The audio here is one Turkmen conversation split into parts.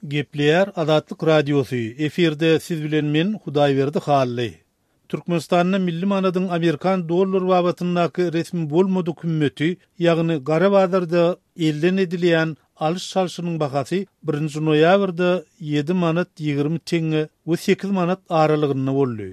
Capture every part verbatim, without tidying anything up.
Gepleýär Azatlyk Radiosy, efirde siz bilen men Hudaýberdi Hally. Türkmenistanda milli manadyň amerikan dollar babatyndaky resmi bolmadyk hümmeti, ýagny gara bazarda elden edilýän alyş-çalşynyň bahasy birinji noýabrda ýedi manat ýigrimi teňňe we sekiz manat aralygynda boldy.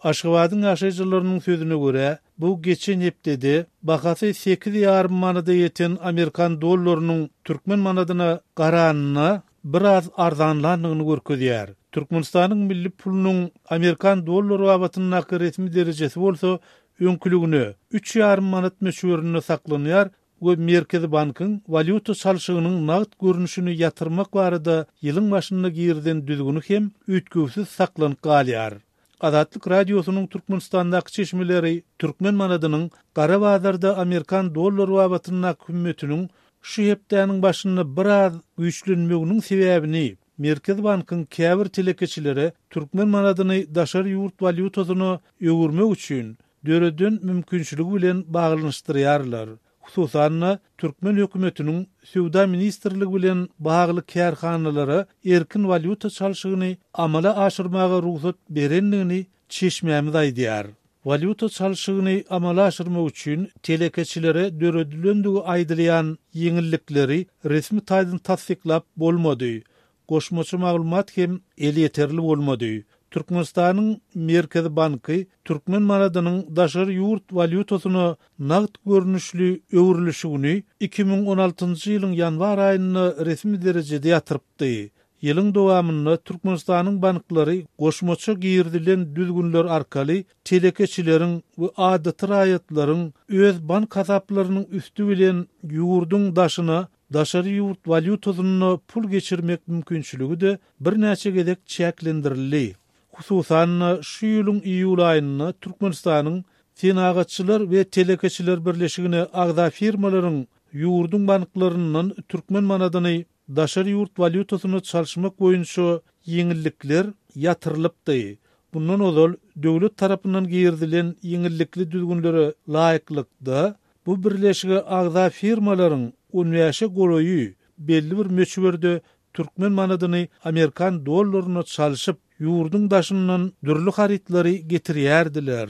Aşgabadyň ýaşaýjylarynyň sözüne görä, bu geçen hepdede bahasy sekiz ýarym manada ýeten amerikan dollarynyň türkmen manadyna garanynda biraz arzanlandygyny görkezýär. Türkmenistanyň milli pulunyň amerikan dollary babatyndaky resmi derejesi bolsa öňküligine üç ýarym manat möçberinde saklanýar we Merkezi bankyň walýuta çalşygynyň nagt görnüşini ýatyrmak barada ýylyň başynda girizen düzgüni hem üýtgewsiz saklanyp galýar. Azatlyk Radiosynyň Türkmenistandaky çeşmeleri türkmen manadynyň gara bazarda amerikan dollary babatyndaky hümmetiniň şu hepdäniň başynda biraz güýçlenmeginiň sebäbini Merkezi bankyň käbir telekeçilere türkmen manadyny daşary ýurt walýutasyna öwürmek üçin döreden mümkinçiligi bilen baglanyşdyrýarlar. Hususan-da, türkmen hökümetiniň Söwda ministrligi bilen bagly kärhanalara erkin walýuta çalşygyny amala aşyrmaga rugsat berendigini çeşmämiz aýdýar. Walýuta çalşygyny amala aşyrmak üçin telekeçilere döredilendigi aýdylýan ýeňillikleri resmi taýdan tassyklap bolmady. Goşmaça maglumat hem elýeterli bolmady. Türkmenistanyň Merkezi banky türkmen manadynyň daşary ýurt walýutasyna nagt görnüşli öwrülişigini iki müň on altynjy ýylyň ýanwar aýynda resmi derejede ýatyrypdy. Ýylyň dowamynda Türkmenistanyň banklary goşmaça girizilen düzgünler arkaly telekeçileriň we adaty raýatlaryň öz bank hasaplarynyň üsti bilen ýurduň daşyna daşary ýurt walýutasynda pul geçirmek mümkinçiligi-de birnäçe gezek çäklendirildi. Hususan-da, şu ýylyň iýul aýynda Türkmenistanyň Senagatçylar we telekeçiler birleşigine agza firmalaryň ýurduň banklaryndan türkmen manadyny daşary ýurt walýutasyna çalyşmak boýunça ýeňillikler ýatyrylypdy. Bundan ozal döwlet tarapyndan girizilen ýeňillikli düzgünlere laýyklykda, bu birleşige agza firmalaryň on bäşe golaýy belli bir möçberde türkmen manadyny amerikan dollaryna çalşyp, ýurduň daşyndan dürli harytlary getirýärdiler.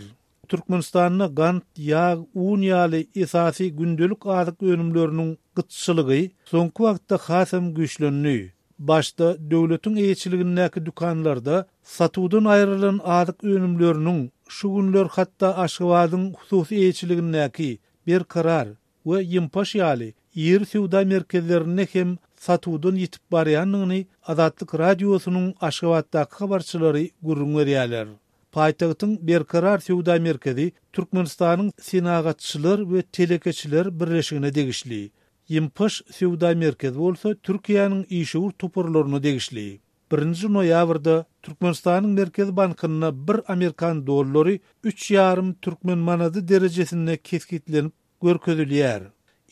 Türkmenistanda gant, ýag, un ýaly esasy gündelik azyk önümleriniň gytçylygy soňky wagtda hasam güýçlendi. Başda döwletiň eýeçiligindäki dükanlarda satuwdan aýrylan azyk önümleriniň şu günler hatda Aşgabadyň hususy eýeçiligindäki Berkarar we Ýympaş ýaly iri söwda merkezlerinde hem satuwdan ýitip barýandygyny Azatlyk Radiosynyň Aşgabatdaky habarçylary gürrüň berýärler. Paýtagtyň Berkarar söwda merkezi Türkmenistanyň Senagatçylar we telekeçiler birleşigine degişli. Ýympaş söwda merkezi bolsa Türkiýäniň işewür toparlaryna degişli. Birinji noýabrda Türkmenistanyň Merkezi bankynda bir amerikan dollary üç ýarym türkmen manady derejesinde kesgitlenip görkezilýär.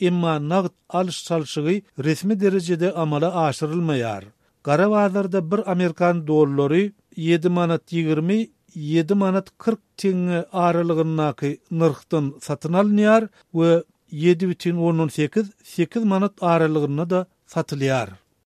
Emma nagt alyş-çalşygy resmi derejede amala aşyrylmaýar. Gara bazarda bir amerikan dollary ýedi manat ýigrimi, ýedi manat kyrk teňňe aralygyndaky nyrhdan satyn alynýar we ýedi bütin ondan sekiz, sekiz manat aralygynda-da satylýar.